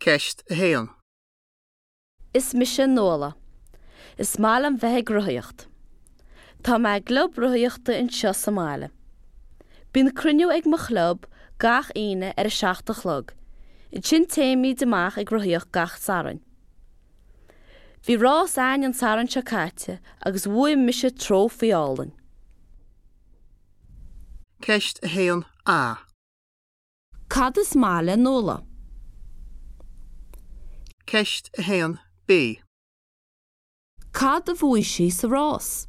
Ceist 1. Is mise Nuala. Is maith liom bheith ag rothaíocht. Tá mé i gclub rothaíochta anseo sa mbaile. Bíonn cruinniú ag mo chlub gach Aoine ar a 7 a chlog, ansin téimid amach ag rothaíocht gach Satharn. Bhí rás a'ainn an Satharn seo caite agus bhuaigh mise trófaí álainn. Ceist 1A. Cad is maith le Nuala? Ceist 1B. Cad a bhuaigh sí sa rás?